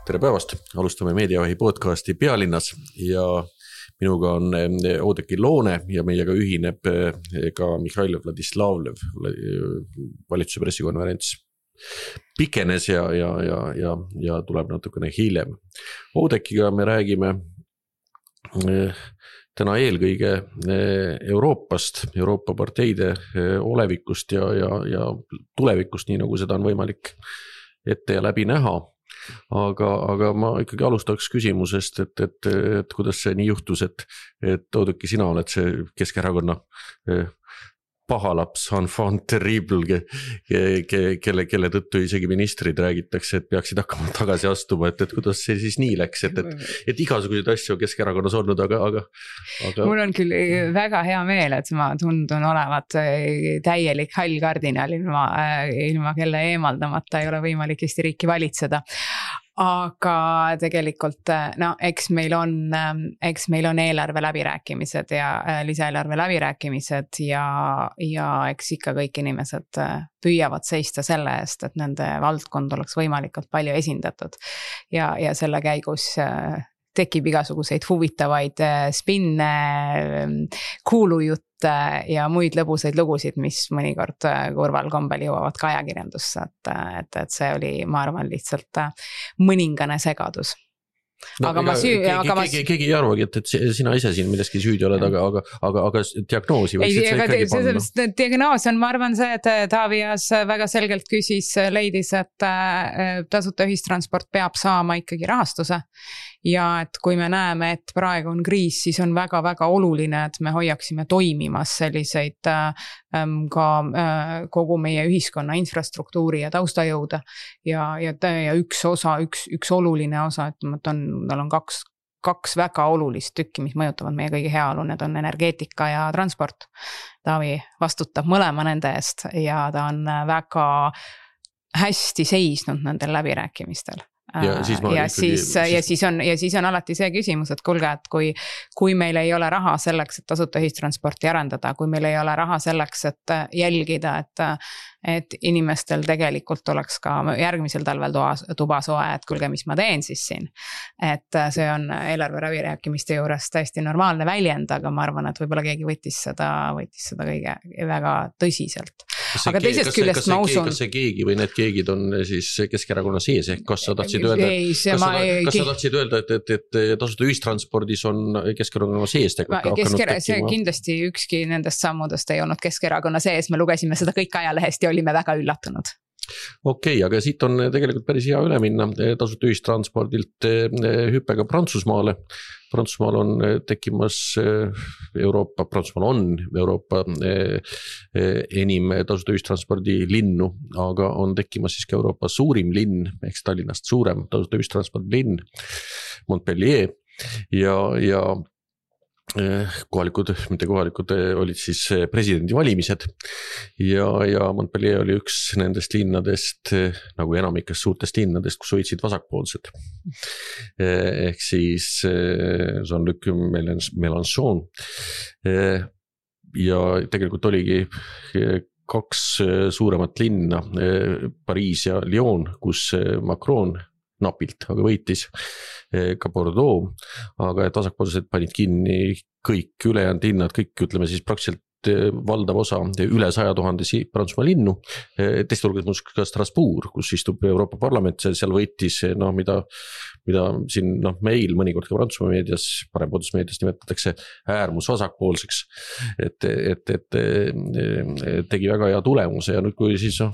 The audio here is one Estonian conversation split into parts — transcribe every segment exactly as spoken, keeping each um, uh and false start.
Tere päevast, alustame Meediavahi podcasti Pealinnas ja minuga on Oudekki Loone ja meiega ühineb ka Mihhail Vladislavlev, valitsuse pressikonverents pikenes ja, ja, ja, ja, ja tuleb natukene hiljem. Oudekkiga me räägime täna eelkõige Euroopast, Euroopa parteide olevikust ja, ja, ja tulevikust, nii nagu seda on võimalik ette ja läbi näha. Aga, aga ma ikkagi alustaks küsimusest, et, et, et kuidas see nii juhtus, et, et Oudekki, sina oled see Keskerakonna pahalaps, enfant terrible, kelle, kelle tõttu isegi ministrid räägitakse, et peaksid hakkama tagasi astuma, et, et kuidas see siis nii läks, et, et, et igasuguseid asju Keskerakonnas olnud, aga, aga, aga... Mul on küll väga hea meel, et ma tundun olevat täielik hall kardinal, ilma, ilma kelle eemaldamata ei ole võimalik Eesti riiki valitseda. Aga tegelikult, no, eks meil on, eks meil on eelarve läbirääkimised ja lisaeelarve läbirääkimised ja, ja eks ikka kõik inimesed püüavad seista selle eest, et nende valdkond oleks võimalikult palju esindatud ja, ja selle käigus tekib igasuguseid huvitavaid spinne, kuulujutte ja muid lõbusaid lugusid, mis mõnikord kurval kombel jõuavad ka ajakirjandusse, et, et, et see oli, ma arvan, lihtsalt mõningane segadus. No, aga ega, ma süü... keegi, aga ma... keegi, keegi ei arvagi, et, et sina ise siin milleski süüdi oled, aga, aga, aga, aga diagnoosi võiks ei, see ikkagi see, panna. See, diagnoos on, ma arvan see, et Taavias väga selgelt küsis, leidis, et tasuta ühistransport peab saama ikkagi rahastuse ja et kui me näeme, et praegu on kriis, siis on väga-väga oluline, et me hoiaksime toimimas selliseid ka kogu meie ühiskonna infrastruktuuri ja taustajõude ja, ja, ja üks osa, üks, üks oluline osa, et on, tal on kaks, kaks väga olulist tükki, mis mõjutavad meie kõigi heaolu, need on energeetika ja transport. Taavi vastutab mõlema nende eest ja ta on väga hästi seisnud nendel läbirääkimistel. Ja, siis, ja, ikkagi, siis, siis... ja, siis on, ja siis on alati see küsimus, et kulge, et kui, kui meil ei ole raha selleks, et tasuta ühistransporti arendada, kui meil ei ole raha selleks, et jälgida, et, et inimestel tegelikult oleks ka järgmisel talvel toa, tuba soe, et kulge, mis ma teen siis siin. Et see on eelarve läbirääkimiste juures täiesti normaalne väljend, aga ma arvan, et võib-olla keegi võttis seda, võttis seda kõige väga tõsiselt. Aga teisest kas, küljest kas, ma usun... Kas see keegi või need keegid on siis Keskerakonna sees, ehk kas sa tahtsid öelda, ei, kas, ma... sa, kas sa tahtsid öelda, et, et, et tasuta ühistranspordis on Keskerakonna sees hakanud Kesker... tekkima? Kindlasti ükski nendest sammudest ei olnud Keskerakonna sees, me lugesime seda kõik ajalehest ja olime väga üllatunud. Okei, okay, aga siit on tegelikult päris hea üle minna tasuta ühistranspordilt hüppega Prantsusmaale. Prantsusmaal on tekkimas Euroopa, Prantsusmaal on Euroopa enim tasuta ühistranspordi linnu, aga on tekkimas siis ka Euroopa suurim linn, ehk Tallinnast suurem tasuta ühistranspordi linn, Montpellier ja, ja kohalikud, mitte kohalikud olid siis presidendi valimised ja, ja Montpellier oli üks nendest linnadest, nagu enamikest suurtest linnadest, kus hoidsid vasakpoolsed. Ehk siis Jean-Luc Mélenchon ja tegelikult oligi kaks suuremat linna, Pariis ja Lyon, kus Macron napilt, aga võitis ka Bordeaux, aga et vasakpoolsed panid kinni kõik ülejäänud linnad, kõik ütleme siis praktiliselt valdav osa üle saja tuhandesi Prantsusmaa linnu, teiste hulgas ka Strasbourg, kus istub Euroopa Parlament, seal võitis, no, mida, mida siin no, meil mõnikord ka Prantsusmaa meedias, parempoolses meedias nimetatakse äärmus vasakpoolseks, et, et, et, et tegi väga hea tulemuse ja nüüd kui siis no,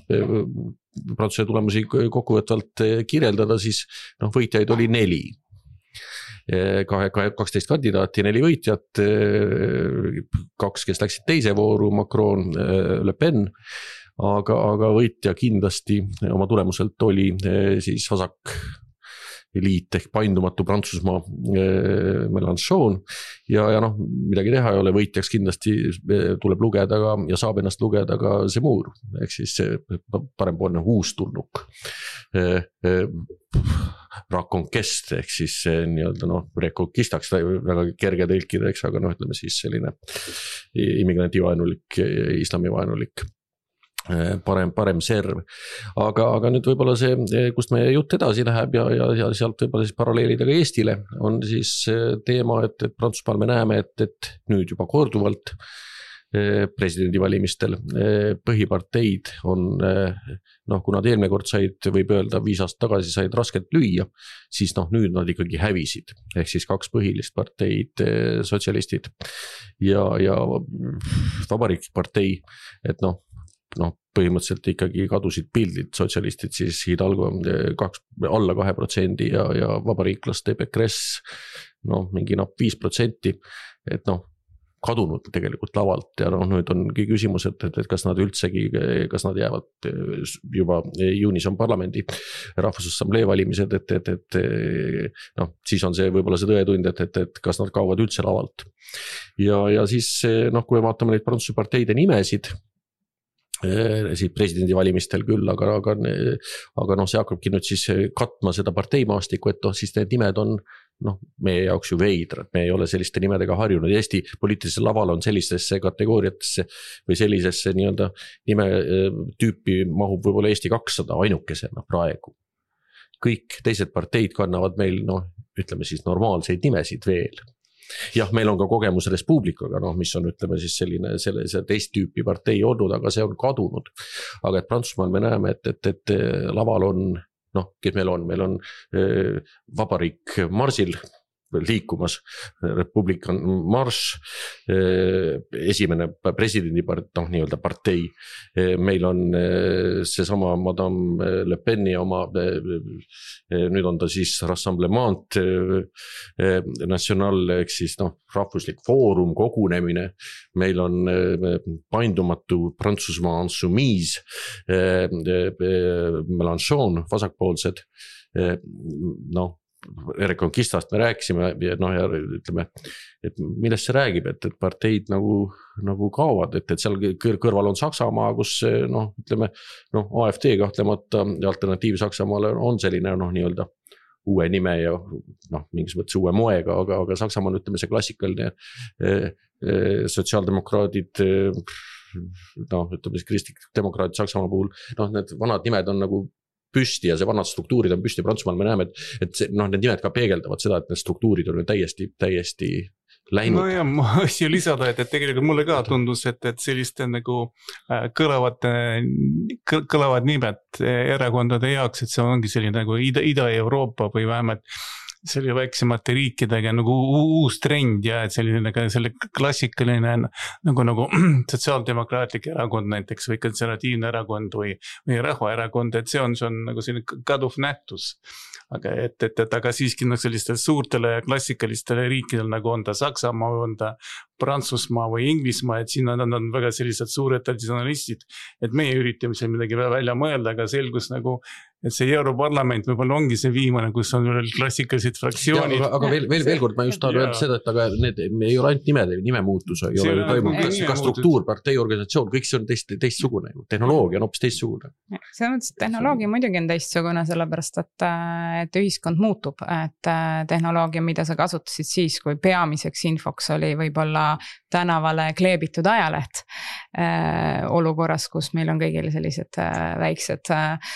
Prantsuse tulemusi kokkuvõtvalt kirjeldada, siis no, võitjaid oli neli. kaksteist kandidaati, neli võitjat, kaks, kes läksid teise vooru, Macron, Le Pen, aga, aga võitja kindlasti oma tulemuselt oli siis vasak liit ehk paindumatu Prantsusmaa Mélenchon ja, ja noh, midagi teha ei ole, võitjaks kindlasti tuleb lugeda ka ja saab ennast lugeda ka Zemmour, ehk siis parempoolne uustulnuk Raconquest ehk siis nii-öelda noh, reconquistaks väga kerge tõlkida, eks, aga noh, ütleme siis selline immigrantivaenulik, islamivaenulik parem, parem serv. Aga, aga nüüd võib-olla see, kust meie jutt edasi läheb ja, ja, ja sealt võib-olla siis paralleelida ka Eestile, on siis teema, et, et Prantsusmaal me näeme, et, et nüüd juba korduvalt presidendivalimistel põhiparteid on, noh, kuna nad eelmine kord said, võib öelda viis aastat tagasi said raskelt lüüa, siis noh, nüüd nad ikkagi hävisid. Ehk siis kaks põhilist parteid, sotsialistid ja, ja Vabariigipartei, et noh, noh, põhimõtteliselt ikkagi kadusid pildid, sotsialistid siis Hidalgo kaks, alla kahe protsendi ja, ja vabariiklaste Pécresse, noh, mingi napp viis protsenti, et noh, kadunud tegelikult lavalt ja noh, nüüd ongi küsimus, et, et, et kas nad üldsegi, kas nad jäävad juba juunis on parlamendi rahvusassamblee valimised, et, et, et noh, siis on see võib-olla see tõetund, et, et, et kas nad kaovad üldse lavalt. Ja, ja siis noh, kui me vaatame neid Prantsuse parteide nimesid, siis presidendivalimistel küll, aga, aga, aga noh, see hakkabki nüüd siis katma seda parteimaastikku, et noh, siis need nimed on noh, meie jaoks ju veidrad, me ei ole selliste nimedega harjunud. Eesti poliitilisel laval on sellistesse kategooriatesse või sellisesse nii-öelda nime tüüpi mahub võib-olla Eesti kakssada ainukesena praegu. Kõik teised parteid kannavad meil, noh, ütleme siis normaalseid nimesid veel. Jah, meil on ka kogemus Respublikaga, noh, mis on, ütleme siis selline, selle, see teist tüüpi partei olnud, aga see on kadunud. Aga et Prantsusmaal me näeme, et, et, et laval on, noh, kes meil on, meil on äh, vabariik Marsil liikumas, Republikan Marš, äh, esimene presidendi part, noh, nii-öelda partei. Äh, meil on äh, seesama Madame Le Peni oma, äh, nüüd on ta siis Rassemblement äh, National, ehk siis noh, rahvuslik foorum, kogunemine. Meil on äh, paindumatu Prantsusmaa Insoumise, äh, äh, Mélenchon, vasakpoolsed, äh, noh, Reconquistast me rääkisime ja noh, ja ütleme, et millest see räägib, et, et parteid nagu, nagu kaovad, et, et seal kõrval on Saksamaa, kus noh, ütleme, noh, A F D kahtlemata alternatiiv Saksamaale on selline noh, nii-öelda uue nime ja noh, mingis mõttes uue moega, aga, aga Saksamaa on, ütleme, see klassikaline eh, eh, sotsiaaldemokraadid, eh, noh, ütleme, kristlik demokraadid Saksamaa puhul, noh, need vanad nimed on nagu püsti ja see vanad struktuurid on püsti. Prantsusmaal me näeme, et, et see, noh, need nimed ka peegeldavad seda, et need struktuurid on täiesti, täiesti läinud. No ja ma asju lisada, et, et tegelikult mulle ka tundus, et, et selliste nagu kõlavad, kõlavad nimed erakondade jaoks, et see ongi selline nagu Ida, Ida-Euroopa või vähemalt selle väiksemate riikidega nagu uus trend ja et selline selle klassikaline nagu, nagu sotsiaaldemokraatlik erakond näiteks või konservatiivne erakond või, või rahvaerakond, et see on, see on nagu selline kaduv nähtus. Aga et, et, et aga siiski no, sellistel suurtele ja klassikalistele riikidel nagu on ta Saksamaa või on ta Prantsusmaa või Inglismaa, et siin on, on väga sellised suured traditsionalistid, et meie üritame seal midagi välja mõelda, aga selgus nagu, et see Europarlament võib-olla ongi see viimane, kus on veel klassikalised fraktsioonid. Ja, aga aga veel, veel, veel kord ma just tahan öelda seda, et aga need ei ole ainult nimede, nimemuutus ei ole toimunud, ka, ka struktuur, partei, organisatsioon, kõik see on teist, teistsugune, tehnoloogia on hoopis teistsugune. See mõttes, tehnoloogia muidugi on teistsugune, sellepärast, et, et ühiskond muutub, et tehnoloogia, mida sa kasutasid siis, kui peamiseks infoks oli võib-olla tänavale kleebitud ajaleht äh, olukorras, kus meil on kõigil sellised äh, väiksed äh,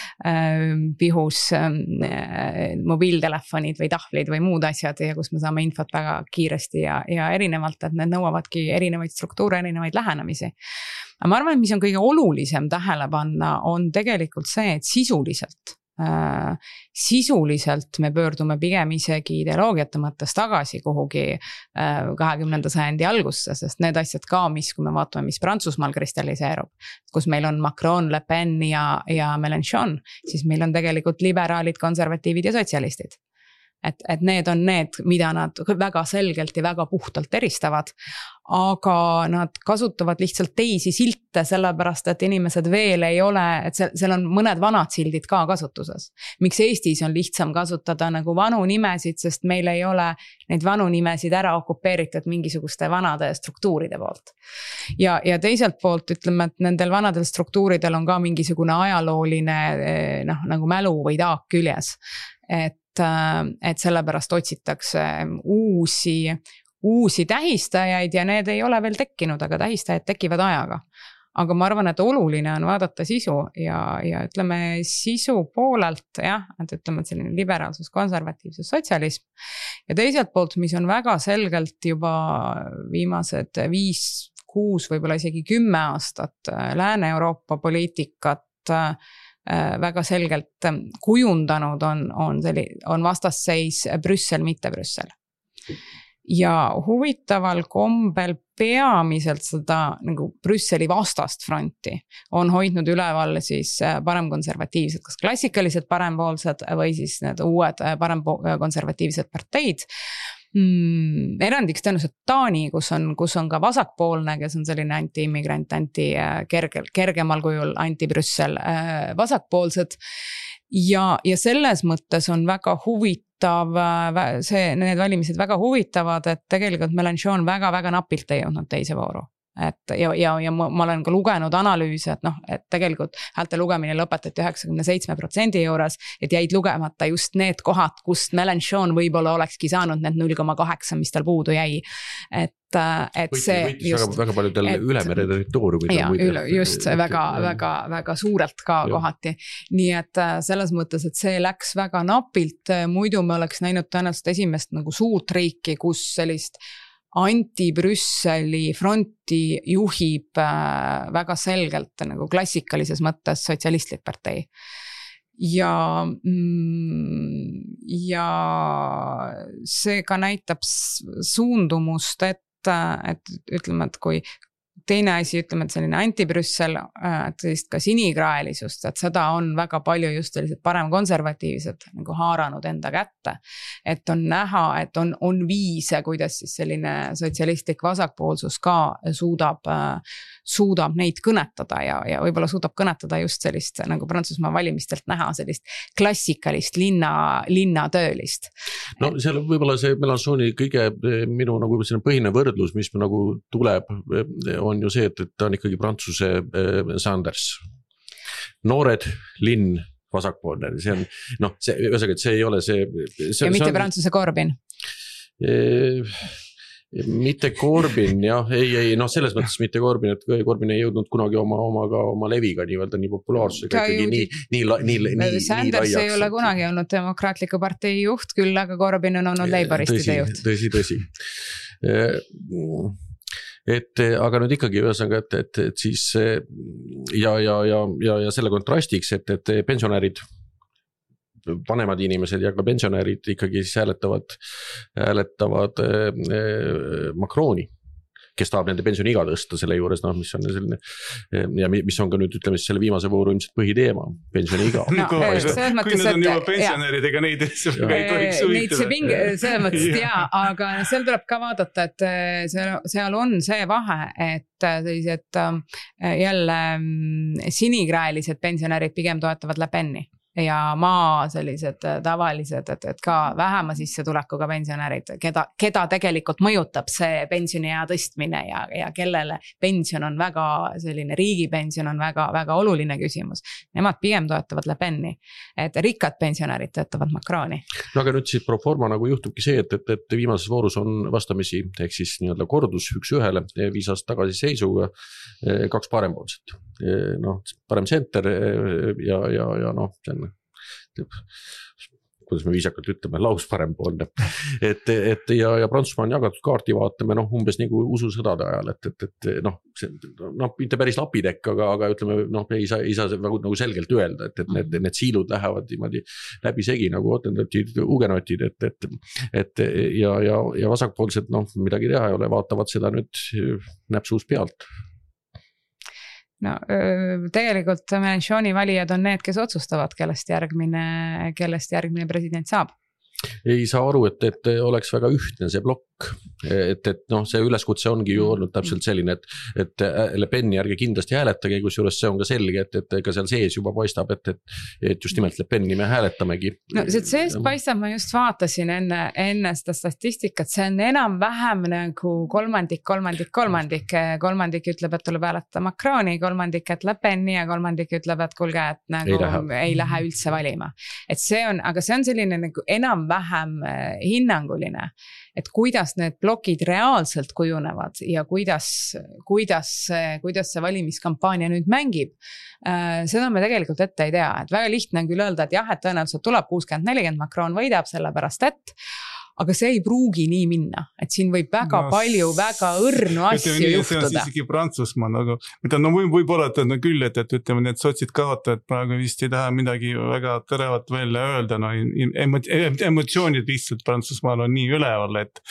pihus äh, mobiiltelefonid või tahvlid või muud asjad ja kus me saame infot väga kiiresti ja, ja erinevalt, et need nõuavadki erinevaid struktuure, erinevaid lähenemisi. Aga ma arvan, et mis on kõige olulisem tähele panna, on tegelikult see, et sisuliselt Äh, sisuliselt me pöördume pigem isegi ideoloogiate mõttes tagasi kuhugi äh, kahekümnenda sajandi algusse, sest need asjad ka, mis, kui me vaatame, mis Prantsusmaal kristalliseerub, kus meil on Macron, Le Pen ja, ja Mélenchon, siis meil on tegelikult liberaalid, konservatiivid ja sotsialistid. Et, et need on need, mida nad väga selgelt ja väga puhtalt eristavad, aga nad kasutavad lihtsalt teisi silte, sellepärast, et inimesed veel ei ole, et seal on mõned vanad sildid ka kasutuses. Miks Eestis on lihtsam kasutada nagu vanu nimesid, sest meil ei ole neid vanu nimesid ära okupeeritud mingisuguste vanade struktuuride poolt. Ja, ja teiselt poolt ütleme, et nendel vanadel struktuuridel on ka mingisugune ajalooline noh, nagu mälu või taak küljes. Et et sellepärast otsitakse uusi, uusi tähistajaid ja need ei ole veel tekkinud, aga tähistajad tekivad ajaga. aga ma arvan, et oluline on vaadata sisu ja, ja ütleme sisu poolelt jah, et ütleme, et selline liberaalsus, konservatiivsus, sotsialism ja teiselt poolt, mis on väga selgelt juba viimased viis, kuus, võib-olla isegi kümme aastat Lääne-Euroopa poliitikat väga selgelt kujundanud on, on, selli, on vastasseis Brüssel, mitte Brüssel. Ja huvitaval kombel peamiselt seda nagu Brüsseli vastast fronti on hoidnud üleval siis paremkonservatiivsed, kas klassikalised parempoolsed või siis need uued paremkonservatiivsed parteid. Mm, erandiks tõenäoliselt Taani, kus on, kus on ka vasakpoolne, kes on selline anti-immigrant, anti kergel, kergemal kujul anti-Brüssel vasakpoolsed ja, ja selles mõttes on väga huvitav see, need valimised väga huvitavad, et tegelikult Mélenchon väga-väga napilt ei jõudnud teise vooru. Et ja, ja, ja ma, ma olen ka lugenud analüüse, et noh, et tegelikult häälte lugemine lõpetati üheksakümne seitsme protsendi juures, et jäid lugemata just need kohad, kust Mélenchon võib-olla olekski saanud need null koma kaheksa, mis tal puudu jäi. Et, et võitis, see võitis just, väga, väga paljudel et, ülemere territooriumid. Ja, üle, just et, väga, et, väga, väga suurelt ka jah. Kohati. Nii et selles mõttes, et see läks väga napilt, muidu me oleks näinud tõenäoliselt esimest nagu suurt riiki, kus sellist anti-Brüsseli fronti juhib äh, väga selgelt nagu klassikalises mõttes sotsialistlik partei. Ja, mm, ja see ka näitab suundumust, et, et ütleme, et kui teine asi, ütleme, et selline anti-Brüssel, et sellist ka sinikraelisust, et seda on väga palju just sellised parem konservatiivsed nagu haaranud enda kätte. Et on näha, et on, on viise, kuidas siis selline sotsialistlik vasakpoolsus ka suudab, suudab neid kõnetada ja, ja võib-olla suudab kõnetada just sellist nagu Prantsusmaa valimistelt näha sellist klassikalist linna, linnatöölist. No seal võib-olla see Mélenchoni kõige minu nagu põhine võrdlus, mis nagu tuleb, on ju see, et, et ta on ikkagi Prantsuse äh, Sanders. Noored, linn, vasakpoolne. See on, noh, see, ühesõnaga, et see ei ole see... see ja mitte on, Prantsuse Corbyn? E, mitte Corbyn, jah, ei, ei, noh, selles mõttes mitte Corbyn, et Corbyn ei jõudnud kunagi oma, oma, ka, oma leviga nii-öelda nii populaarsusega ikkagi nii, nii, nii, nii, nii, Sanders nii ei ole kunagi olnud demokraatliku partei juht, küll aga Corbyn on olnud leiboristide juht. Tõsi, tõsi. Et aga nüüd ikkagi ühesõnaga, et, et, et siis ja, ja, ja, ja, ja selle kontrastiks, et, et pensionärid, vanemad inimesed ja ka pensionärid ikkagi siis hääletavad, hääletavad äh, Macroni, kes tahab nende pensioni iga tõsta selle juures, noh, mis on selline, ja mis on ka nüüd, ütleme, selle viimase vooru ilmselt põhiteema, pensioni iga. No, kui need on juba pensionärid, ega neid ei tohiks suvitada. Selles mõttes, jaa, aga seal tuleb ka vaadata, et seal, seal on see vahe, et sellised jälle sinikraelised pensionärid pigem toetavad Le Peni. Ja maa sellised tavalised, et, et ka vähema sissetulekuga pensionärid, keda, keda tegelikult mõjutab see pensioniea tõstmine ja, ja kellele pension on väga selline, riigipension on väga, väga oluline küsimus. Nemad pigem toetavad Le Peni, et rikkad pensionärid toetavad Macroni. No aga nüüd siis pro forma nagu juhtubki see, et, et, et viimases voorus on vastamisi, ehk siis nii-öelda kordus üks ühele, viis aastat tagasi seisuga, kaks parempoolset. No, parem center ja, ja, ja noh, see on kuidas me viisakalt ütleme, laus parempoolne. Et, et ja, ja Prantsusmaa on jagatud kaarti vaatame, noh, umbes nagu ususõdade ajal, et, et, et noh, see, noh, mitte päris lapitekk, aga, aga ütleme, noh, ei saa, ei saa nagu, nagu selgelt öelda, et, et need, need siilud lähevad niimoodi läbi segi nagu otendotid, ugenotid, et, et, et ja, ja, ja vasakpoolsed, noh, midagi teha ei ole, vaatavad seda nüüd näpsuus pealt. No, tegelikult Mélenchoni valijad on need, kes otsustavad, kellest järgmine, kellest järgmine president saab. Ei saa aru, et, et oleks väga ühtne see blokk, et, et noh, see üleskutse ongi ju olnud täpselt selline, et, et Le Peni ärge kindlasti hääletage, kus juures see on ka selge, et, et ka seal sees juba paistab, et, et, et just nimelt Le Peni me hääletamegi. No see sees paistab, ma just vaatasin enne, enne seda statistikat, see on enam vähem nagu kolmandik, kolmandik, kolmandik, kolmandik ütleb, et tuleb hääletada Macroni, kolmandik, et Le Peni ja kolmandik ütleb, et kulge, et nagu ei lähe, ei lähe üldse valima. Et see on, aga see on selline nagu enam vähem hinnanguline et kuidas need blokid reaalselt kujunevad ja kuidas, kuidas, kuidas see valimiskampaania nüüd mängib, seda me tegelikult ette ei tea, et väga lihtne on küll öelda, et jah, et tõenäoliselt tuleb kuuskümmend nelikümmend, Macron võidab sellepärast, et aga see ei pruugi nii minna, et siin võib väga no, palju, väga õrnu asju nii, juhtuda. See on isegi Prantsusmaal, aga mida, no võib, võib olla, et on küll, et, et ütleme, need sotsid kaotajad praegu vist ei taha midagi väga terevat välja öelda, no emotsioonid lihtsalt Prantsusmaal on nii üleval, et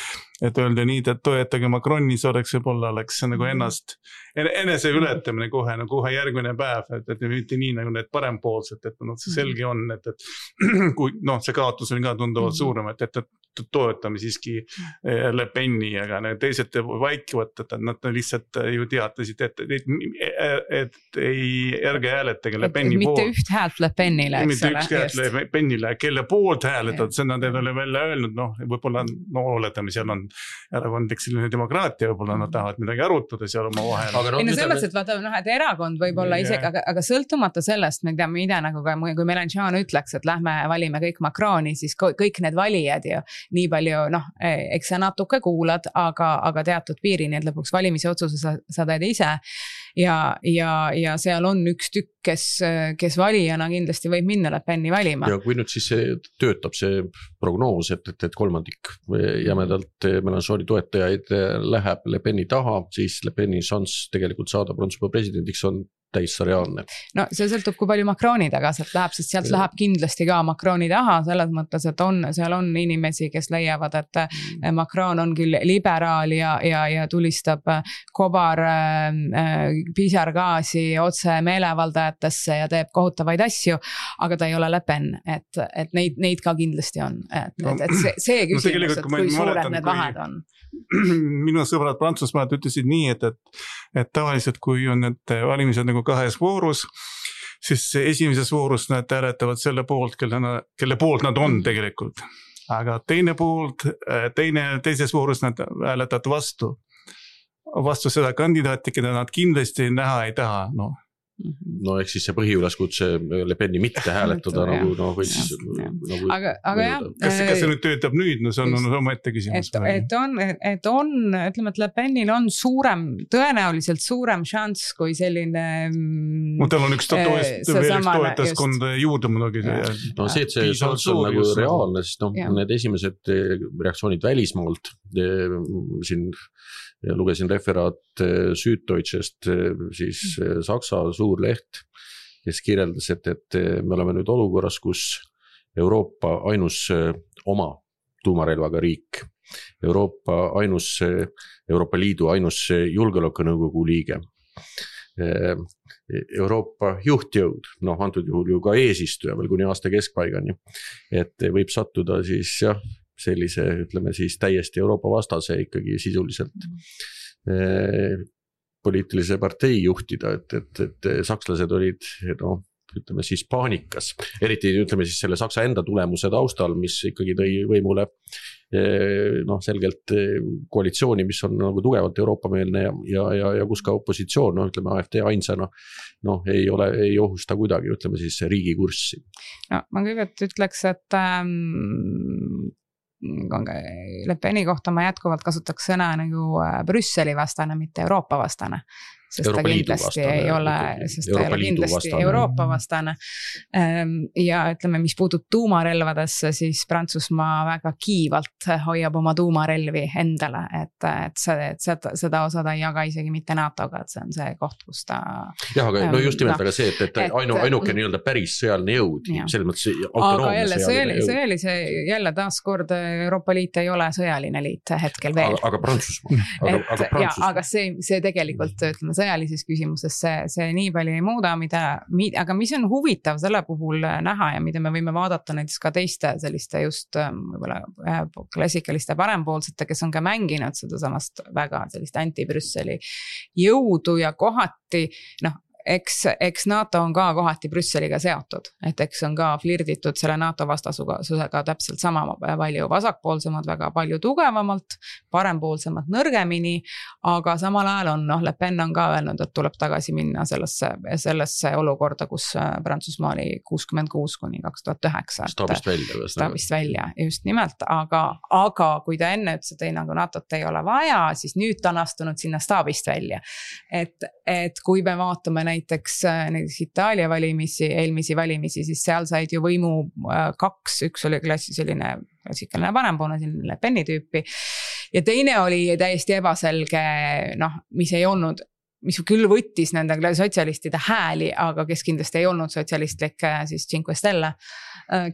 et öelda nii, et toetage Macronis oleks võib-olla oleks nagu ennast, enese ületamine kohe, no kohe järgmine päev, et, et mitte nii nagu need parempoolsed, et no see selge on, et, et kui noh, see kaotus on ka tunduvalt suurem, et, et, et toetame siiski Le Peni, aga need teised vaikivad, et nad lihtsalt ju teatasid, et, et, et, et ei ärge hääletage Le Peni mitte poolt. Üht häält Le Penile, eks ole. Mitte üks häält Le Penile, kelle poolt hääletad, see nad ei ole välja öelnud, noh, võib-olla no oletame, seal on erakondlik selline demokraatia, võib-olla nad tahavad midagi arutada seal oma vahel. No, ei no selles, et vaata, noh, et erakond võib-olla yeah. isegi, aga, aga sõltumata sellest, mida me ide nagu, kui Mélenchon ütleks, et lähme valime kõik Macroni, siis kõik need valijad ja nii palju, noh, eks sa natuke kuulad, aga, aga teatud piirini, et lõpuks valimise otsuse sa, sa teed ise ja, ja, ja seal on üks tükk, kes, kes valijana kindlasti võib minna Le Peni valima. Ja kui nüüd siis see töötab see prognoos, et, et, et kolmandik jämedalt Mélenchoni toetajaid läheb Le Peni taha, siis Le Peni šanss tegelikult saada Prantsusmaa presidendiks on täitsa reaalne. No see sõltub, kui palju Macroni taga sealt läheb, sest sealt ja. Läheb kindlasti ka Macroni taha, selles mõttes, et on, seal on inimesi, kes leiavad, et mm. Macron on küll liberaal ja, ja, ja tulistab kobar äh, pisargaasi otse meelevaldajatesse ja teeb kohutavaid asju, aga ta ei ole Le Pen, et, et neid, neid ka kindlasti on. Et, no, et, et see, see küsimus, no, et kui suured need vahed on. Minu sõbrad Prantsusmaad ütlesid nii, et, et, et tavaliselt kui on need valimised nagu kahes voorus, siis esimeses voorus nad hääletavad selle poolt, kelle, kelle poolt nad on tegelikult. Aga teine poolt, teine, teises voorus nad hääletavad vastu. Vastu seda kandidaati, keda nad kindlasti näha ei taha, noh. No ehk siis see põhiüleskutse Le Peni mitte hääletada nagu, no võis nagu aga, aga jah kas, kas see nüüd töötab nüüd, no see on oma ette küsimus et, et on, et on, ütleme, et Le Penil on suurem, tõenäoliselt suurem šanss kui selline no tal on üks toetust, veel üks toetaskond juurde muidugi no see, et see šanss on nagu reaalne, sest noh, need esimesed reaktsioonid välismaalt siin ja lugesin referaat Süddeutschest, siis Saksa suur leht, kes kirjeldas, et, et me oleme nüüd olukorras, kus Euroopa ainus oma tuumarelvaga riik, Euroopa ainus, Euroopa Liidu ainus julgeolekunõukogu liige, Euroopa juhtjõud, noh antud juhul ju ka eesistuja veel kuni aasta keskpaigani, et võib sattuda siis jah, sellise, ütleme siis täiesti Euroopa vastase ikkagi sisuliselt eh, poliitilise partei juhtida, et, et, et sakslased olid, no, ütleme siis paanikas, eriti ütleme siis selle Saksa enda tulemuse taustal, mis ikkagi tõi võimule eh, noh, selgelt koalitsiooni, mis on nagu tugevalt Euroopa-meelne ja, ja, ja, ja kus ka opositsioon, no ütleme A F D ainsana, noh, ei ole, ei ohusta kuidagi, ütleme siis riigi kurssi. No, ma kõigepealt ütleks, et ähm... Le Peni kohta ma jätkuvalt kasutaks sõna nagu Brüsseli vastane, mitte Euroopa vastane. Sest Euroopa ta kindlasti vastane, ei ole, sest ta ei ole kindlasti vastane. Euroopa vastane. Ja ütleme, mis puutub tuumarelvadesse, siis Prantsusmaa väga kiivalt hoiab oma tuumarelvi endale, et, et, see, et seda, seda osa ta ei jaga isegi mitte NATOga, et see on see koht, kus ta... jah, aga no just nimelt, aga see, et, et, et ainu, ainuke nii-öelda päris sõjaline jõud, selles mõttes autonoomne jälle, sõjaline jõud. See oli see, jälle taaskord Euroopa Liit ei ole sõjaline liit hetkel veel. Aga, aga Prantsusmaa. Aga, et, aga, Prantsusmaa. Ja, aga see, see tegelikult, ütleme, sõjalises küsimuses see, see nii palju ei muuda, mida, aga mis on huvitav selle puhul näha ja mida me võime vaadata näiteks ka teiste selliste just võib-olla klassikaliste parempoolsete, kes on ka mänginud seda samast väga sellist anti-Brüsseli jõudu ja kohati, noh, eks, eks NATO on ka kohati Brüsseliga seotud, et eks on ka flirditud selle NATO vastasusega täpselt sama palju vasakpoolsemad, väga palju tugevamalt, parempoolsemad nõrgemini, aga samal ajal on, noh, Le Pen on ka öelnud, et tuleb tagasi minna sellesse, sellesse olukorda, kus Prantsusmaa oli kuuskümmend kuus kuni kaks tuhat üheksa. Staabist välja. Staabist välja, just nimelt, aga, aga kui ta enne ütles, et ei, nagu NATOt ei ole vaja, siis nüüd ta on astunud sinna staabist välja. Et, et kui me vaatame näiteks, näiteks Itaalia valimisi, eelmisi valimisi, siis seal said ju võimu kaks, üks oli klassi selline klassikaline parempoolne, selline Le Peni tüüpi ja teine oli täiesti ebaselge, noh, mis ei olnud, mis küll võttis nende sotsialistide hääli, aga kes kindlasti ei olnud sotsialistlik, siis Cinque Stelle,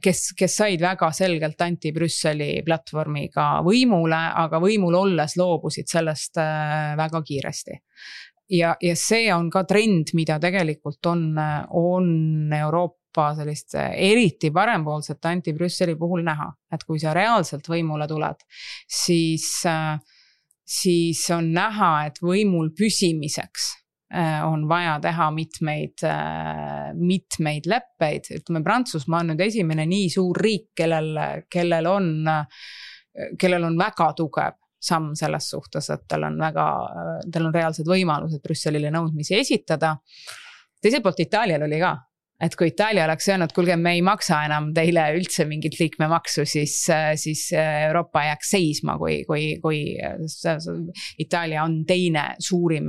kes, kes said väga selgelt anti-Brüsseli platvormiga võimule, aga võimul olles loobusid sellest väga kiiresti. Ja, ja see on ka trend, mida tegelikult on, on Euroopa sellist eriti parempoolset anti-Brüsseli puhul näha. Et kui sa reaalselt võimule tuled, siis, siis on näha, et võimul püsimiseks on vaja teha mitmeid, mitmeid leppeid. Ütleme, Prantsusmaa on nüüd esimene nii suur riik, kellel, kellel, on, kellel on väga tugev samm selles suhtes, et tal on väga, tal on reaalsed võimalused Brüsselile nõudmisi esitada. Teiselt poolt Itaalial oli ka, et kui Itaalia oleks öelnud, kuulge, me ei maksa enam teile üldse mingit liikmemaksu, siis, siis Euroopa jääks seisma, kui, kui, kui Itaalia on teine suurim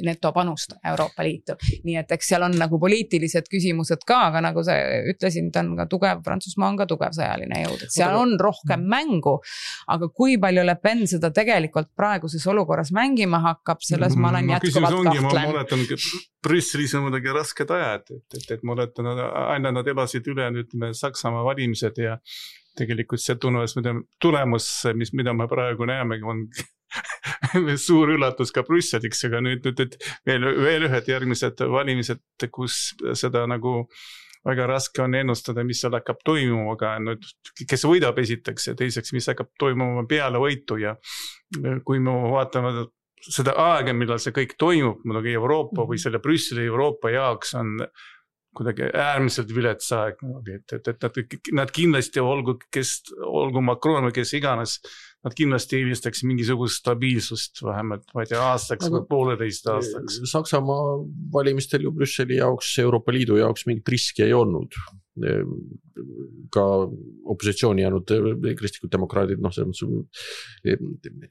netopanust Euroopa Liitu. Nii et eks seal on nagu poliitilised küsimused ka, aga nagu sa ütlesin, ta on ka tugev, Prantsusmaa on ka tugev sõjaline jõud. Et seal on rohkem mängu, aga kui palju Le Pen seda tegelikult praeguses olukorras mängima hakkab, selles ma olen jätkuvalt kahtlen. Ma oletan, Brüsselis on muidugi rasked ajad, et, et, et ma oletan, aina nad elasid üle nüüd Saksamaa valimised ja tegelikult see tulemus, mida, tulemus, mis, mida me praegu näeme, on suur üllatus ka Brüsseliks, aga nüüd, nüüd et veel, veel ühed järgmised valimised, kus seda nagu väga raske on ennustada, mis seal hakkab toimuma, aga nüüd, kes võidab esiteks ja teiseks, mis hakkab toimuma peale võitu ja kui me vaatame seda aega, millal see kõik toimub, muidugi Euroopa või selle Brüsseli Euroopa jaoks on kuidagi äärmiselt vilets aeg, et, et, et, et nad kindlasti olgu, kes, olgu Macron või kes iganes, nad kindlasti eelistaks mingisugust stabiilsust vähemalt, ma ei tea, aastaks või pooleteist aastaks. Saksamaa valimistel ju Brüsseli jaoks, Euroopa Liidu jaoks mingit riski ei olnud. Ka opositsiooni jäänud kristlikud demokraadid, noh, see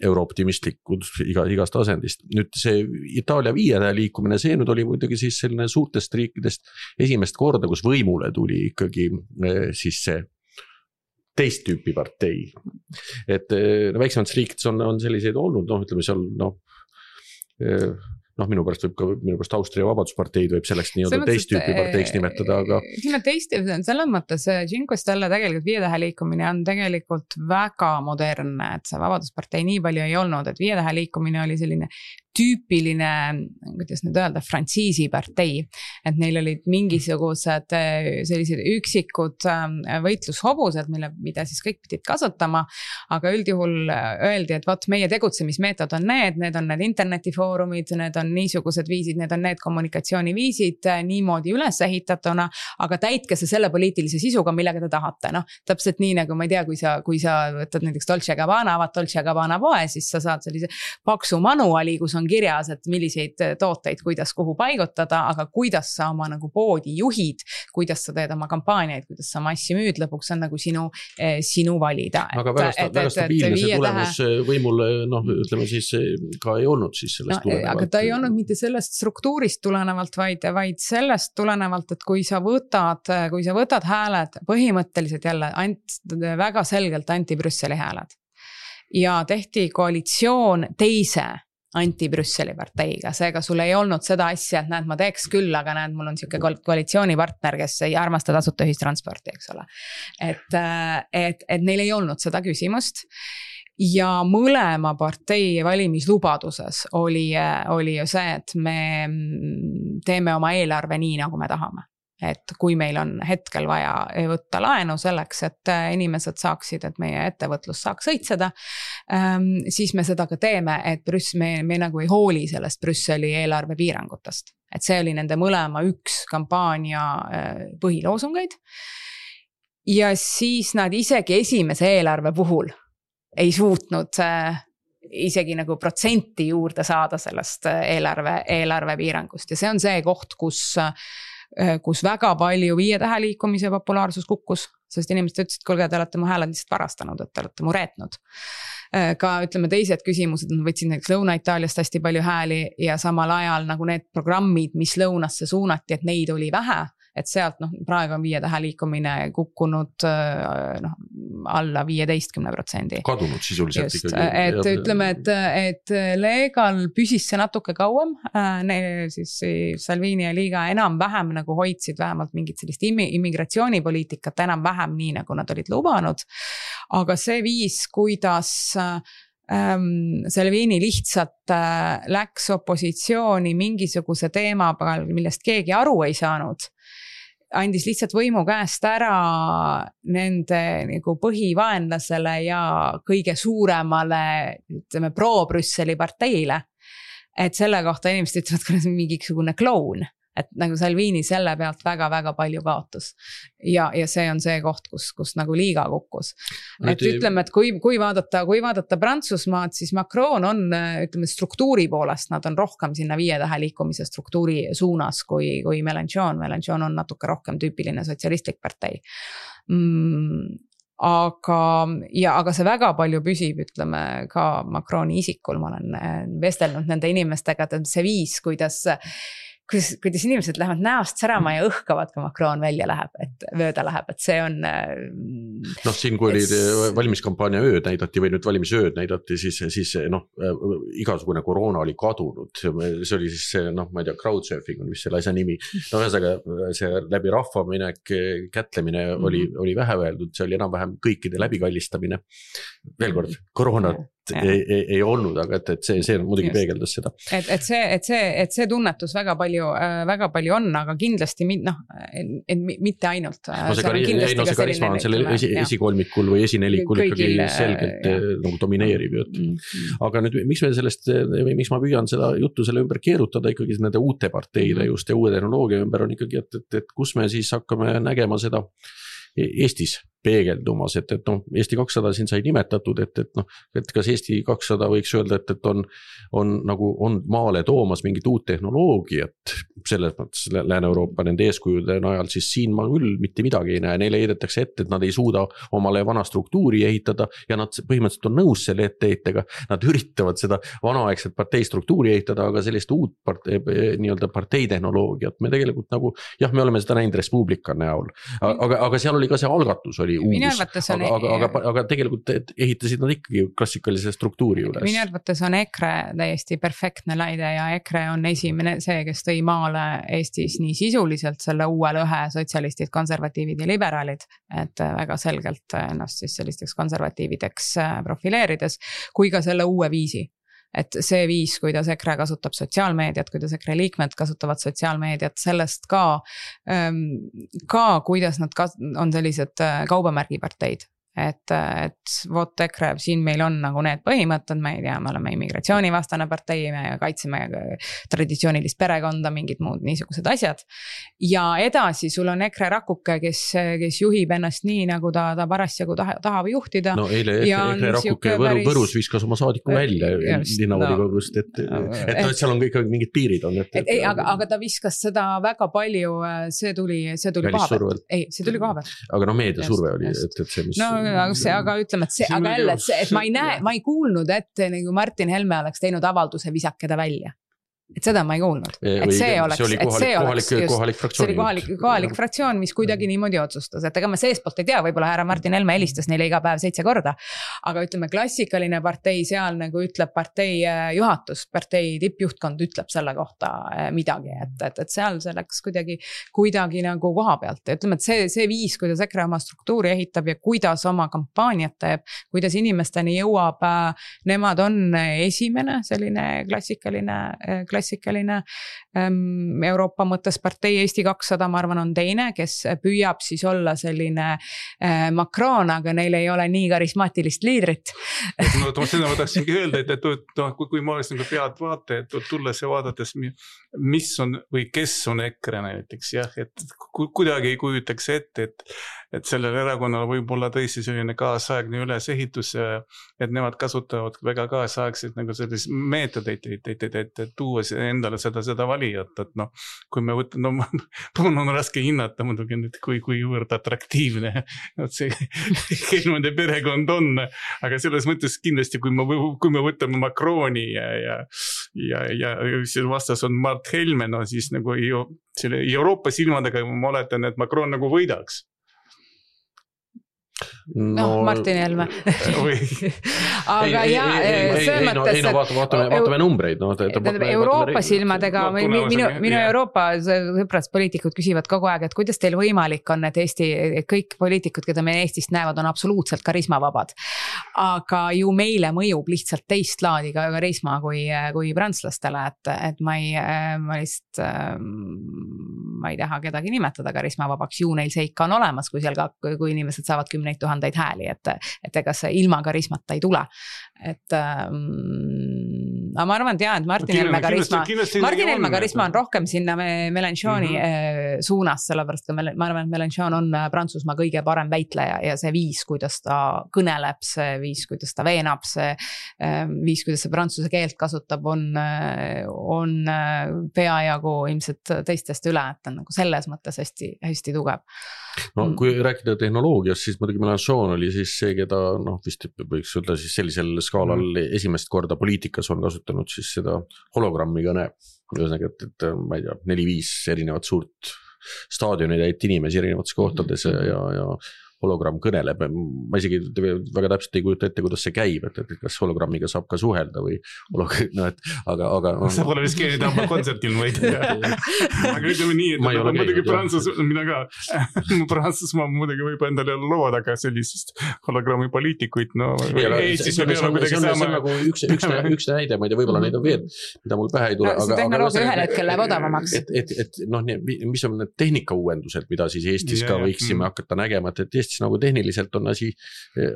eurooptimistlikud iga, igast asendist. Nüüd see Itaalia viietähe liikumine, see nüüd oli muidugi siis selline suurtest riikidest esimest korda, kus võimule tuli ikkagi siis see teist tüüpi partei. Et no, väiksemates riikides on, on selliseid olnud, noh, ütleme seal, noh, noh, minu pärast võib ka, minu pärast Austria Vabadusparteid võib selleks nii-öelda teist tüüpi parteiks nimetada, aga ütleme teist tüüpi, selles mõttes Cinque Stelle tegelikult viietähe liikumine on tegelikult väga modernne, et see Vabaduspartei nii palju ei olnud, et viietähe liikumine oli selline tüüpiline, kuidas nüüd öelda, frantsiisi partei, et neil olid mingisugused sellised üksikud võitlushobused, mille, mida siis kõik pidid kasutama, aga üldjuhul öeldi, et vaat meie tegutsemismeetod on need, need on need internetifoorumid, need on niisugused viisid, need on need kommunikatsiooniviisid niimoodi üles ehitatuna, aga täitke see selle poliitilise sisuga, millega te tahate, noh, täpselt nii nagu ma ei tea, kui sa, kui sa võtad näiteks Dolce Gabbana, avad Dolce Gabbana poe, siis sa saad sellise paksu manuali, kus on kirjas, et milliseid tooteid, kuidas kuhu paigutada, aga kuidas sa oma nagu poodi juhid, kuidas sa teed oma kampaaniaid, kuidas sa oma asja müüd, lõpuks on nagu sinu, sinu valida. Aga väga, et, väga stabiilne see tulemus tähe... võimul, noh, ütleme siis ka ei olnud siis sellest no, tulenevalt. Aga ta ei olnud mitte sellest struktuurist tulenevalt, vaid, vaid sellest tulenevalt, et kui sa võtad, kui sa võtad hääled, põhimõtteliselt jälle ant, väga selgelt anti-Brüsseli hääled ja tehti koalitsioon teise anti-Brüsseli parteiga, seega sul ei olnud seda asja, et näed, ma teeks küll, aga näed, mul on siuke koalitsioonipartner, kes ei armasta tasuta ühistransporti, eks ole. Et, et, et neil ei olnud seda küsimust ja mõlema partei valimislubaduses oli, oli ju see, et me teeme oma eelarve nii, nagu me tahame. et kui meil on hetkel vaja võtta laenu selleks, et inimesed saaksid, et meie ettevõtlus saaks õitseda, siis me seda ka teeme, et Brüss, me, me nagu ei hooli sellest Brüsseli eelarve piirangutest. Et see oli nende mõlema üks kampaania põhiloosungeid. Ja siis nad isegi esimese eelarve puhul ei suutnud isegi nagu protsenti juurde saada sellest eelarve, eelarve piirangust. Ja see on see koht, kus kus väga palju viie tähe liikumise populaarsus kukkus, sest inimesed ütlesid, kuulge, te olete mu hääled lihtsalt varastanud, et te olete mu reetnud. Ka ütleme teised küsimused, nad võtsid näiteks Lõuna-Itaaliast hästi palju hääli ja samal ajal nagu need programmid, mis lõunasse suunati, et neid oli vähe, et sealt noh, praegu on viie tähe liikumine kukkunud noh, alla viieteistkümne protsendi. Kadunud sisuliselt Just, ikkagi. Et ja, ütleme, et, et Leegal püsis see natuke kauem, ne, siis Salvini ja Liiga enam vähem nagu hoidsid vähemalt mingit sellist immigratsioonipoliitikat enam vähem nii, nagu nad olid lubanud, aga see viis, kuidas ähm, Salvini lihtsalt äh, läks opositsiooni mingisuguse teema peal, millest keegi aru ei saanud, andis lihtsalt võimu käest ära nende nagu põhivaenlasele ja kõige suuremale ütleme, pro-Brüsseli parteile. Et selle kohta inimesed ütlevad, kui on mingisugune kloun. Et nagu Salvini selle pealt väga-väga palju kaotus. Ja, ja see on see koht, kus, kus nagu Liiga kukkus. Et ütleme, et kui, kui, vaadata, kui vaadata Prantsusmaad, siis Macron on ütleme, struktuuri poolest, nad on rohkem sinna viie tähe liikumise struktuuri suunas kui, kui Mélenchon. Mélenchon on natuke rohkem tüüpiline sotsialistlik partei. Mm, aga, ja, aga see väga palju püsib, ütleme, ka Macroni isikul. Ma olen vestelnud nende inimestega, et see viis, kuidas Kuidas, kuidas inimesed lähevad näost särama ja õhkavad, kui Macron välja läheb, et vööda läheb, et see on... Noh, siin kui oli valimiskampaania ööd näidati või nüüd valimisööd näidati, siis, siis noh, igasugune koroona oli kadunud. See oli siis see, noh, ma ei tea, crowdsurfing on vist selle asja nimi. No ühesõnaga, see läbi rahvaminek, kätlemine oli, oli vähe öeldud, see oli enam-vähem kõikide läbikallistamine. Veel kord, koroona ei, ei, ei olnud, aga et, et see, see muidugi peegeldas seda. Et, et, see, et, see, et see tunnetus väga palju, väga palju on, aga kindlasti no, et mitte ainult. No see, kari, ei, no see karisma on selle esi, esikolmikul või esinelikul ikkagi selgelt ja. Nagu domineerib. Mm-hmm. Aga nüüd, miks me sellest, miks ma püüan seda juttu selle ümber keerutada ikkagi nende uute parteide just ja uue tehnoloogia ümber on ikkagi, et, et, et kus me siis hakkame nägema seda Eestis peegeldumas, et, et noh, Eesti kakssada siin sai nimetatud, et, et noh, et kas Eesti kakssada võiks öelda, et, et on, on nagu on maale toomas mingit uut tehnoloogiat, selles mõttes Lääne-Euroopa nende eeskujude najal, siis siin ma küll mitte midagi ei näe, neile heidetakse ette, et nad ei suuda omale vana struktuuri ehitada ja nad põhimõtteliselt on nõus selle etteheitega, nad üritavad seda vanaaegset partei struktuuri ehitada, aga sellist uut partei, nii-öelda partei tehnoloogiat me tegelikult nagu, jah, me oleme seda näinud Respublika näol, aga, aga seal oli ka see algatus oli uus, aga, aga, aga, aga tegelikult ehitasid nad ikkagi klassikalise struktuuri üles. Minu arvates on EKRE täiesti perfektne näide ja EKRE on esimene see, kes tõi maale Eestis nii sisuliselt selle uue lõhe sotsialistid, konservatiivid ja liberaalid, et väga selgelt ennast siis sellisteks konservatiivideks profileerides, kui ka selle uue viisi. Et see viis, kuidas EKRE kasutab sotsiaalmeediat, kuidas EKRE liikmed kasutavad sotsiaalmeediat, sellest ka, ka kuidas nad on sellised kaubamärgiparteid. Et, et vot EKRE, siin meil on nagu need põhimõtted, me ei tea, me oleme immigratsioonivastane partei, me kaitseme traditsioonilist perekonda, mingid muud niisugused asjad. Ja edasi sul on EKRE rakuke, kes, kes juhib ennast nii, nagu ta, ta parasjagu tahab juhtida. No eile EKRE rakuke Võru, päris... Võrus viskas oma saadiku välja linnavolikoogust, et, et, et, et seal on kõik mingid piirid on. Et, et, ei, aga, aga ta viskas seda väga palju, see tuli, see tuli koha pealt. Ei, see tuli koha pealt. Aga no meediasurve oli, et, et see, mis... No, Aga, see, aga ütleme, et see, aga jälle, et, see, et ma ei näe, ma ei kuulnud, et nagu Martin Helme oleks teinud avalduse visakeda välja. Et seda ma ei kuulnud. Et see oleks, see oli kohalik, see kohalik, oleks just, kohalik fraktsioon. See oli kohalik, kohalik fraktsioon, mis kuidagi niimoodi otsustas. Et ega ma seespoolt ei tea, võib-olla härra Martin Helme helistas neile iga päev seitse korda. Aga ütleme, klassikaline partei seal nagu ütleb partei juhatus, partei tippjuhtkond ütleb selle kohta midagi. Et, et, et seal see läks kuidagi, kuidagi nagu koha pealt. Ja ütleme, et see, see viis, kuidas EKRE oma struktuuri ehitab ja kuidas oma kampaaniat teeb, kuidas inimesteni jõuab, nemad on esimene selline klassikaline, klassikaline klassikaline ähm, Euroopa mõttes partei, Eesti kakssada, ma arvan, on teine, kes püüab siis olla selline äh, Macron, aga neil ei ole nii karismaatilist liidrit. no seda ma tahtsingi öelda, et, et, et kui, kui ma oleks nagu pead vaata, et tulles ja vaadates, mis on või kes on EKRE näiteks, jah, et kuidagi ei kujutaks ette, et, et sellel erakonnal võib olla tõesti selline kaasaegne ülesehitus, et nemad kasutavad väga kaasaegseid nagu selliseid meetodeid, et, et, et, et, et tuua endale seda, seda valijat, et noh, kui me võtame, no mul on raske hinnata muidugi nüüd, kui, kui juurde atraktiivne et see Helmede perekond on, aga selles mõttes kindlasti, kui me, kui me võtame Macroni ja, ja, ja, ja seal vastas on Mart Helme, no siis nagu selle Euroopa silmadega ma oletan, et Macron nagu võidaks. No, noh, Martin Helme. aga ei, ja ei, ei, no, ei, no vaatame, vaatame, vaatame numbreid. No, Euroopa silmadega, no, minu, minu Euroopa sõpras poliitikud küsivad kogu aeg, et kuidas teil võimalik on, et Eesti, kõik poliitikud, keda me Eestist näevad, on absoluutselt karismavabad. Aga ju meile mõjub lihtsalt teist laadi ka karisma kui, kui prantslastele, et, et ma ei, ma lihtsalt, ma ei taha kedagi nimetada karismavabaks, ju neil see ikka on olemas, kui seal ka, kui inimesed saavad kümneid tuhandeid hääli, et, et ega see ilma karismata ei tule. Et ähm, ma arvan, et jah, et Martin Helme karisma, Martin Helme karisma on rohkem sinna Mélenchoni mm-hmm. suunas, sellepärast ka ma arvan, et Mélenchon on Prantsusmaa kõige parem väitleja ja see viis, kuidas ta kõneleb, see viis, kuidas ta veenab, see viis, kuidas see prantsuse keelt kasutab, on, on peajagu ilmselt teistest üle, et on nagu selles mõttes hästi, hästi tugev. No kui rääkida tehnoloogiast, siis muidugi Mélenchon oli siis see, keda noh, vist võiks öelda siis sellisel skaalal mm. esimest korda poliitikas on kasutanud siis seda hologrammi kõne. Ühesõnaga, et, et ma ei tea, neli-viis erinevat suurt staadioni täit inimesi erinevates kohtades ja, ja, ja hologramm kõneleb. Ma isegi väga täpselt ei kujuta ette, kuidas see käib, et, et kas hologrammiga saab ka suhelda või hologramm, no, et aga, aga no, see pole vist keegi tõmba kontsertil või aga ütleme nii, et ma muidugi Prantsus, mina ka Prantsusmaa muidugi võib endale looda ka sellisest hologrammi poliitikuid, no Eestis me peame kuidagi saama. See on nagu üks, üks, üks näide, ma ei tea, võib-olla neid on veel, mida mul pähe ei tule. No, see tehnoloogia ühel hetkel läheb odavamaks. Et, et, et noh, mis on need tehnika uuendused, mida siis Eestis ka võiksime hakata nägema, et Eestis nagu tehniliselt on asi,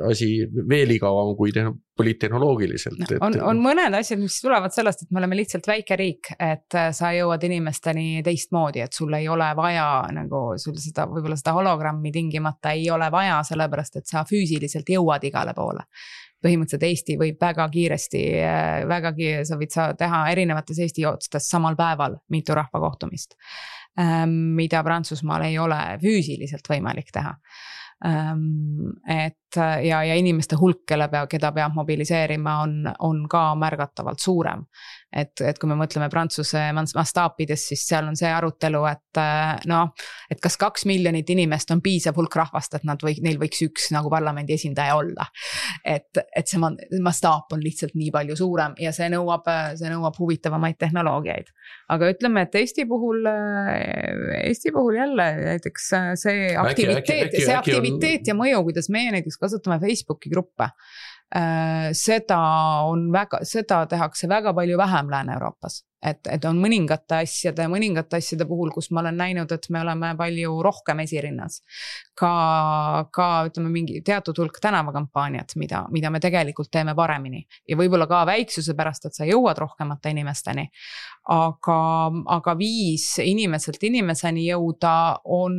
asi veel igavam kui poliittehnoloogiliselt. Et... On, on mõned asjad, mis tulevad sellest, et me oleme lihtsalt väike riik, et sa jõuad inimesteni teist moodi, et sul ei ole vaja nagu sul seda, võib-olla seda hologrammi tingimata ei ole vaja, sellepärast, et sa füüsiliselt jõuad igale poole. Põhimõtteliselt Eesti võib väga kiiresti, väga kiiresti, sa võid sa teha erinevates Eesti otstes samal päeval mitu rahvakohtumist, mida Prantsusmaal ei ole füüsiliselt võimalik teha. Et ja, ja inimeste hulk, kelle peab, keda peab mobiliseerima, on, on ka märgatavalt suurem. Et, et kui me mõtleme Prantsuse mastaapides, siis seal on see arutelu, et no, et kas kaks miljonit inimest on piisav hulk rahvast, et nad või, neil võiks üks nagu parlamendi esindaja olla. Et, et see mastaap on lihtsalt nii palju suurem ja see nõuab, see nõuab huvitavamaid tehnoloogiaid. Aga ütleme, et Eesti puhul, Eesti puhul jälle näiteks see aktiviteet, äkki, äkki, see aktiviteet on... ja mõju, kuidas meie näiteks kasutame Facebooki gruppe. Seda on väga, seda tehakse väga palju vähem Lääne-Euroopas. Et, et on mõningate asjade, mõningate asjade puhul, kus ma olen näinud, et me oleme palju rohkem esirinnas. Ka, ka ütleme mingi teatud hulk tänavakampaaniat, mida, mida me tegelikult teeme paremini. Ja võib-olla ka väiksuse pärast, et sa jõuad rohkemate inimesteni. Aga, aga viis inimeselt inimeseni jõuda on,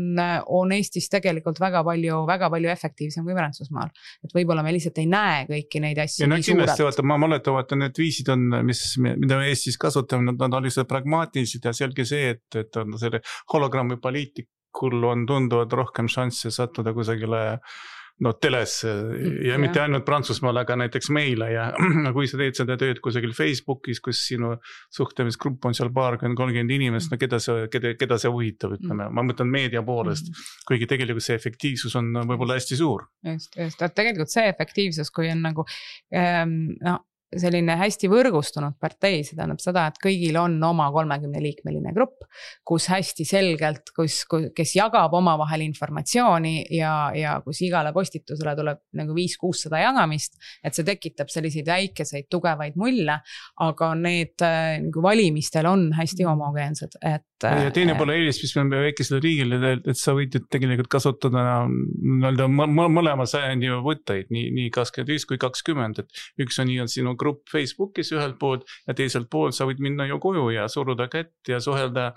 on Eestis tegelikult väga palju, väga palju efektiivsem kui Prantsusmaal. Et võib-olla me lihtsalt ei näe kõiki neid asju ja nii suured. Vaata, ma mäletan, vaata, need viisid on, mis, mida me Eestis kasutame, nad on lihtsalt pragmaatilised ja selge see, et, et on selle hologrammi poliitikul on tunduvad rohkem šansse sattuda kusagile no teles ja mitte ainult Prantsusmaal, aga näiteks meile ja kui sa teed seda tööd kusagil Facebookis, kus sinu suhtlemisgrupp on seal paarkümmend kolmkümmend inimest, no keda see, keda, keda see huvitab, ütleme, ma mõtlen meedia poolest, kuigi tegelikult see efektiivsus on võib-olla hästi suur. Just, just, et tegelikult see efektiivsus, kui on nagu ähm, no, selline hästi võrgustunud partei, see tähendab seda, et kõigil on oma kolmekümne liikmeline grupp, kus hästi selgelt, kus, kes jagab omavahel informatsiooni ja, ja kus igale postitusele tuleb nagu viis kuussada jagamist, et see tekitab selliseid väikeseid tugevaid mulle, aga need nagu valimistel on hästi homogeensed, et ja teine pole eelis, mis me väikesele riigile, et sa võid tegelikult kasutada mõlema, mõlema sajandi võtteid, nii, nii kakskümmend viis kui kakskümmend, et üks on nii sinu grupp Facebookis ühelt poolt ja teiselt poolt sa võid minna ju koju ja suruda kätt ja suhelda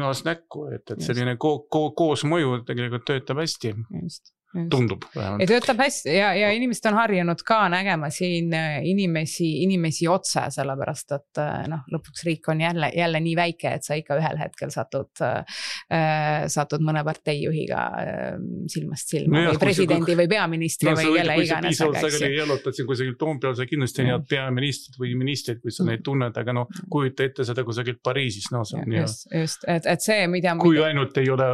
näost näkku, et, et selline ko, ko, koos mõju tegelikult töötab hästi. Just. Just. Tundub. Ja töötab hästi ja, ja inimesed on harjunud ka nägema siin inimesi, inimesi otse, sellepärast, et noh, lõpuks riik on jälle, jälle nii väike, et sa ikka ühel hetkel satud, äh, satud mõne parteijuhiga äh, silmast silma no, või presidendi kui, või peaministri no, või jälle iganes. Kui sa sageli jalutad siin kusagil Toompeal, sa kindlasti need peaministrid või ministrid, kui sa mm. neid tunned, aga noh, kujuta ette seda kusagil Pariisis. No, see on, just, just, et, et see, mida... Kui ainult ei ole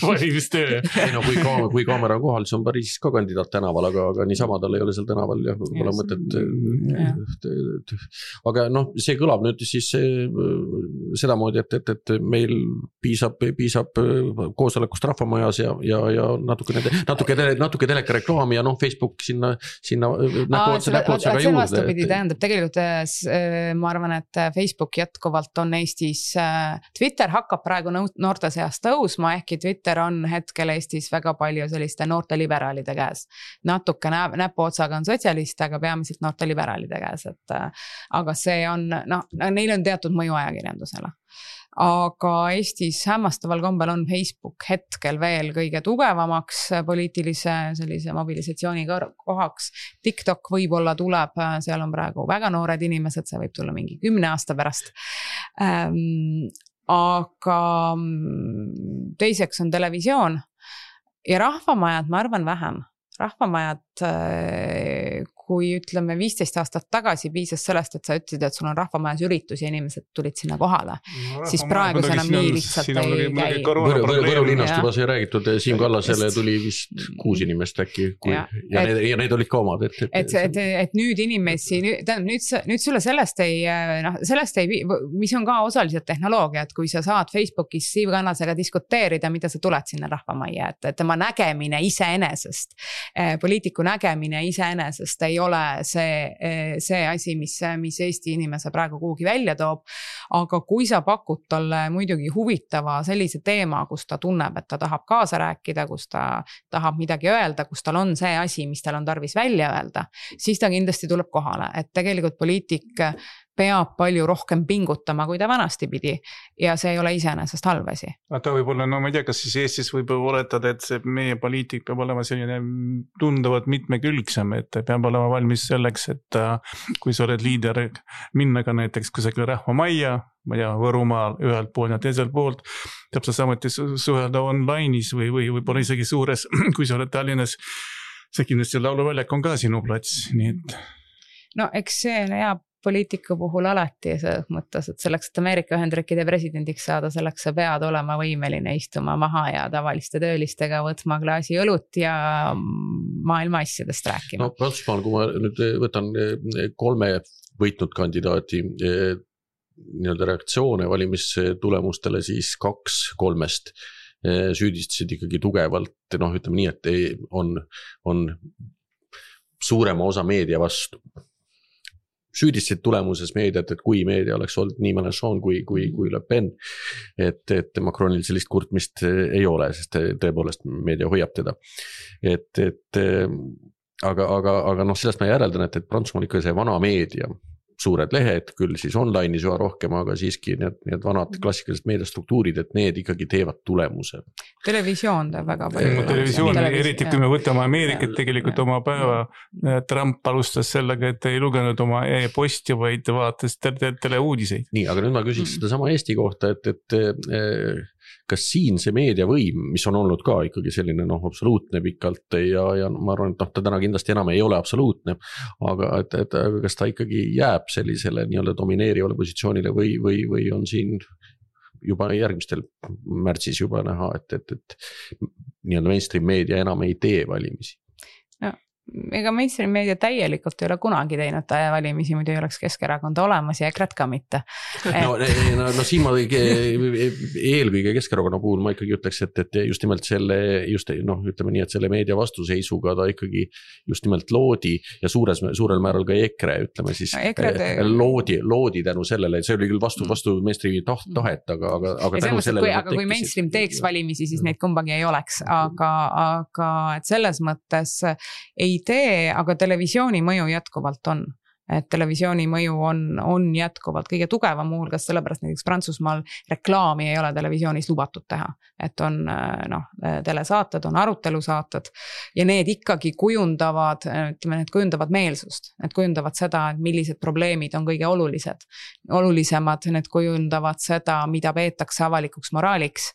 valimistöö. ei no kui, kaam, kui kaamera kohal, see on Pariisis ka kandidaat tänaval, aga, aga niisama tal ei ole seal tänaval ja pole yes. mõtet. Yeah. Aga noh, see kõlab nüüd siis sedamoodi, et, et, et meil piisab, piisab koosolekust rahvamajas ja, ja, ja natuke, natuke, natuke teleka reklaami ja noh, Facebook sinna, sinna näpuotsa, näpuotsa ka juurde. Vastupidi, tähendab, tegelikult ma arvan, et Facebook jätkuvalt on Eestis, Twitter hakkab praegu noorte seas tõusma, ehkki Twitter on hetkel Eestis väga palju selliste noorte liberaalide käes. Natuke näp, näpuotsaga on sotsialiste, aga peamiselt noorte liberaalide käes, et aga see on, noh, neil on teatud mõju ajakirjandusele. Aga Eestis hämmastaval kombel on Facebook hetkel veel kõige tugevamaks poliitilise sellise mobilisatsiooni kohaks. TikTok võib-olla tuleb, seal on praegu väga noored inimesed, see võib tulla mingi kümne aasta pärast. Ähm, aga teiseks on televisioon ja rahvamajad, ma arvan vähem. Rahvamajad, kui ütleme viisteist aastat tagasi piisas sellest, et sa ütlesid, et sul on rahvamajas üritus ja inimesed tulid sinna kohale, no, siis praegu see enam nii lihtsalt ei käi. Võru linnast juba sai räägitud, Siim Kallasele tuli vist kuus inimest äkki kui, ja, ja, et, need, ja need olid ka omad. Et, et, et, et, et nüüd inimesi, tähendab, nüüd, nüüd sulle sellest ei, noh, sellest ei, mis on ka osaliselt tehnoloogia, et kui sa saad Facebookis Siim Kallasega diskuteerida, mida sa tuled sinna rahvamajja, et, et tema nägemine iseenesest, poliitiku nägemine iseenesest ei ole see, see asi, mis, mis Eesti inimese praegu kuhugi välja toob, aga kui sa pakud talle muidugi huvitava sellise teema, kus ta tunneb, et ta tahab kaasa rääkida, kus ta tahab midagi öelda, kus tal on see asi, mis tal on tarvis välja öelda, siis ta kindlasti tuleb kohale, et tegelikult poliitik peab palju rohkem pingutama, kui ta vanasti pidi ja see ei ole iseenesest halb asi. Ta võib olla, no ma ei tea, kas siis Eestis võib oletada, et see meie poliitik peab olema selline tunduvalt mitmekülgsem, et peab olema valmis selleks, et kui sa oled liider, minna ka näiteks kusagil rahvamajja, ma ei tea, Võrumaal ühelt pool ja teiselt poolt, täpselt samuti suhelda online'is või, või võib-olla isegi suures, kui sa oled Tallinnas, see kindlasti lauluväljak on ka sinu plats, nii et... No eks see jääb poliitiku puhul alati selles mõttes, et selleks, et Ameerika Ühendriikide presidendiks saada, selleks sa pead olema võimeline istuma maha ja tavaliste töölistega võtma klaasi õlut ja maailma asjadest rääkima. No Prantsusmaal, kui ma nüüd võtan kolme võitnud kandidaati nii-öelda reaktsioone valimistulemustele, siis kaks kolmest süüdistasid ikkagi tugevalt, noh ütleme nii, et on, on suurema osa meedia vastu. Süüdistasid tulemuses meediat, et kui meedia oleks olnud nii Mélenchon kui, kui, kui Le Pen, et, et Macronil sellist kurtmist ei ole, sest tõepoolest meedia hoiab teda. Et, et, aga, aga, aga noh, sellest ma järeldan, et, et Prantsusmaal ikka see vana meedia, suured lehed, küll siis online'is juba rohkem, aga siiski need, need vanad klassikalised meediastruktuurid, et need ikkagi teevad tulemuse. Televisioon teeb väga palju. Televisioon, eriti kui me võtame Ameerikat tegelikult ja, oma päeva, ja. Trump alustas sellega, et ei lugenud oma e-posti, vaid vaatas teleuudiseid. Nii, aga nüüd ma küsiks seda sama Eesti kohta, et, et kas siin see meediavõim, mis on olnud ka ikkagi selline noh, absoluutne pikalt ja, ja ma arvan, et noh, ta täna kindlasti enam ei ole absoluutne, aga et, et kas ta ikkagi jääb sellisele nii-öelda domineerivale positsioonile või, või, või on siin juba järgmistel märtsis juba näha, et, et, et nii-öelda mainstream meedia enam ei tee valimisi? No, ega mainstream meedia täielikult ei ole kunagi teinud valimisi, muidu ei oleks Keskerakond olemas ja EKRE ka mitte. Et... No, no, no siin ma eelkõige Keskerakonna puhul ma ikkagi ütleks, et, et just nimelt selle, just noh, ütleme nii, et selle meedia vastuseisuga ta ikkagi just nimelt loodi ja suures, suurel määral ka EKRE, ütleme siis no, EKRE te... loodi, loodi tänu sellele, see oli küll vastu, vastu mainstreami tahet, aga, aga, aga tänu mõttes, sellele. Kui, aga kui mainstream teeks valimisi, siis neid kumbagi ei oleks, aga, aga et selles mõttes ei tee, aga televisiooni mõju jätkuvalt on. Et televisiooni mõju on, on jätkuvalt kõige tugevam muuhulgas, sellepärast näiteks Prantsusmaal reklaami ei ole televisioonis lubatud teha. Et on noh, telesaated, on arutelusaated ja need ikkagi kujundavad, ütleme, need kujundavad meelsust. Need kujundavad seda, et millised probleemid on kõige olulised. Olulisemad, need kujundavad seda, mida peetakse avalikuks moraaliks.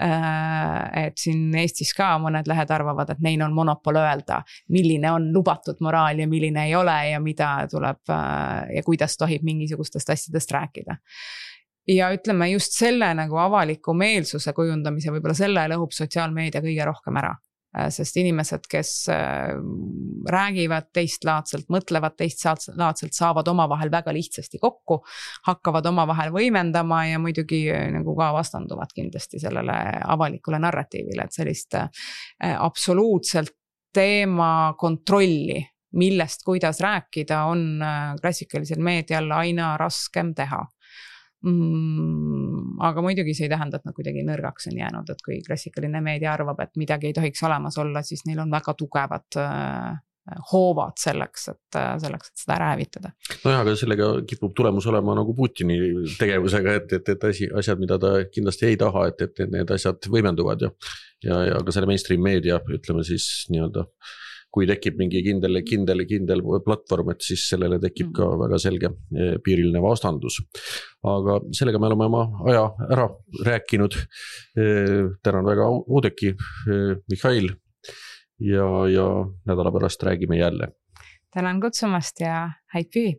Et siin Eestis ka mõned lehed arvavad, et neil on monopol öelda, milline on lubatud moraal ja milline ei ole ja mida tuleb ja kuidas tohib mingisugustest asjadest rääkida. Ja ütleme just selle nagu avaliku meelsuse kujundamise, võib-olla selle lõhub sotsiaalmeedia kõige rohkem ära. Sest inimesed, kes räägivad teistlaadselt, mõtlevad teistlaadselt, saavad oma vahel väga lihtsasti kokku, hakkavad oma vahel võimendama ja muidugi nagu ka vastanduvad kindlasti sellele avalikule narratiivile, et sellist absoluutselt teema kontrolli millest, kuidas rääkida, on klassikalisel meedial aina raskem teha. Mm, aga muidugi see ei tähenda, et nad kuidagi nõrgaks on jäänud, et kui klassikaline meedia arvab, et midagi ei tohiks olemas olla, siis neil on väga tugevad hoovad selleks, et selleks, et seda ära hävitada. No jah, aga sellega kipub tulemus olema nagu Putini tegevusega, et, et, et asi, asjad, mida ta kindlasti ei taha, et, et need asjad võimenduvad ja, ja, ja ka selle mainstream meedia, ütleme siis nii-öelda kui tekib mingi kindel, kindel, kindel platvorm, et siis sellele tekib ka väga selge piiriline vastandus. Aga sellega me oleme oma aja ära rääkinud. Tänan väga Oudekki, Mihhail ja, ja nädala pärast räägime jälle. Tänan kutsumast ja häid pühi!